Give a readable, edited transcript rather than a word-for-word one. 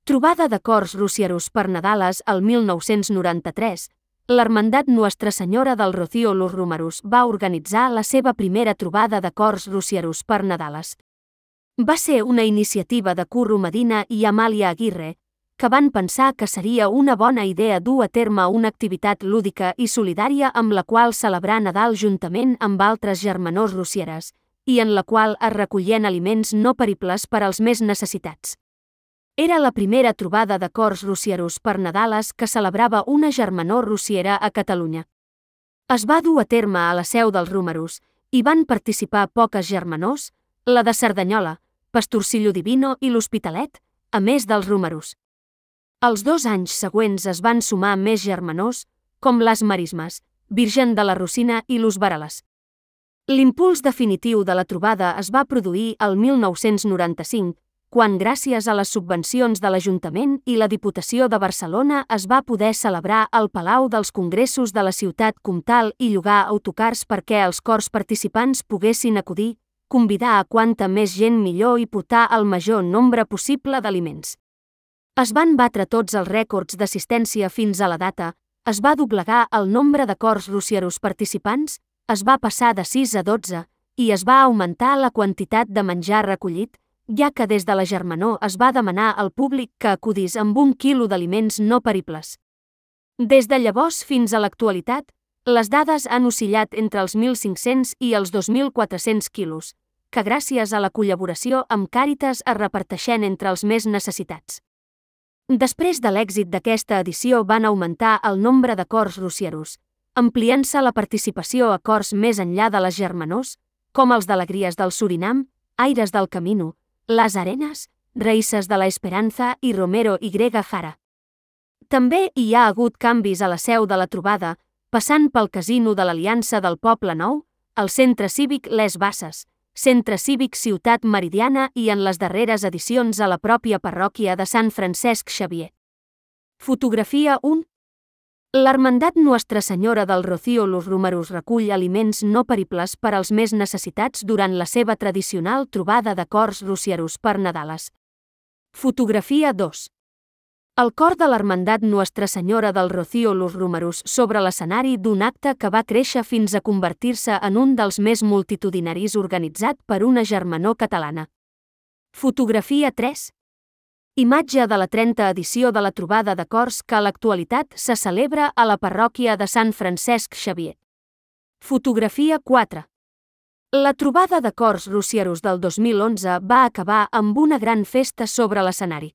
Trobada de cors rocierus per Nadales el 1993, l'Hermandat Nuestra Senyora del Rocío Los Romerus va organitzar la seva primera trobada de cors rocierus per Nadales. Va ser una iniciativa de Curro Medina i Amàlia Aguirre, que van pensar que seria una bona idea dur a terme una activitat lúdica i solidària amb la qual celebrar Nadal juntament amb altres germanors rocieres, i en la qual es recollien aliments no peribles per als més necessitats. Era la primera trobada de cors rocierus per Nadales que celebrava una germanor rociera a Catalunya. Es va dur a terme a la seu dels Romerus i van participar poques germanors, la de Cerdanyola, Pastorcillo Divino i l'Hospitalet, a més dels Romerus. Els 2 anys següents es van sumar més germanors, com les Marismes, Virgen de la Rosina i los Varales. L'impuls definitiu de la trobada es va produir el 1995, quan gràcies a les subvencions de l'Ajuntament i la Diputació de Barcelona es va poder celebrar al Palau dels Congressos de la ciutat comtal i llogar autocars perquè els cors participants poguessin acudir, convidar a quanta més gent millor i portar el major nombre possible d'aliments. Es van batre tots els rècords d'assistència fins a la data, es va doblegar el nombre de cors rocierus participants, es va passar de 6 a 12 i es va augmentar la quantitat de menjar recollit, ja que des de la germanor es va demanar al públic que acudís amb 1 quilo d'aliments no peribles. Des de llavors fins a l'actualitat, les dades han oscil·lat entre els 1.500 i els 2.400 quilos, que gràcies a la col·laboració amb Càritas es reparteixen entre els més necessitats. Després de l'èxit d'aquesta edició van augmentar el nombre de cors rocierus, ampliant-se la participació a cors més enllà de les germanors, com els d'Alegries del Surinam, Aires del Camino, Las Arenas, Raïces de la Esperanza i Romero y Jara. També hi ha hagut canvis a la seu de la trobada, passant pel Casino de l'Aliança del Poble Nou, el Centre Cívic Les Basses, Centre Cívic Ciutat Meridiana i en les darreres edicions a la pròpia parròquia de Sant Francesc Xavier. Fotografia 1. L'Hermandat Nuestra Senyora del Rocío Los Romerus recull aliments no peribles per als més necessitats durant la seva tradicional trobada de cors rocierus per Nadales. Fotografia 2. El cor de l'Hermandat Nuestra Senyora del Rocío Los Romerus sobre l'escenari d'un acte que va créixer fins a convertir-se en un dels més multitudinaris organitzat per una germanor catalana. Fotografia 3. Imatge de la 30a edició de la trobada de cors que a l'actualitat se celebra a la parròquia de Sant Francesc Xavier. Fotografia 4. La trobada de cors rocierus del 2011 va acabar amb una gran festa sobre l'escenari.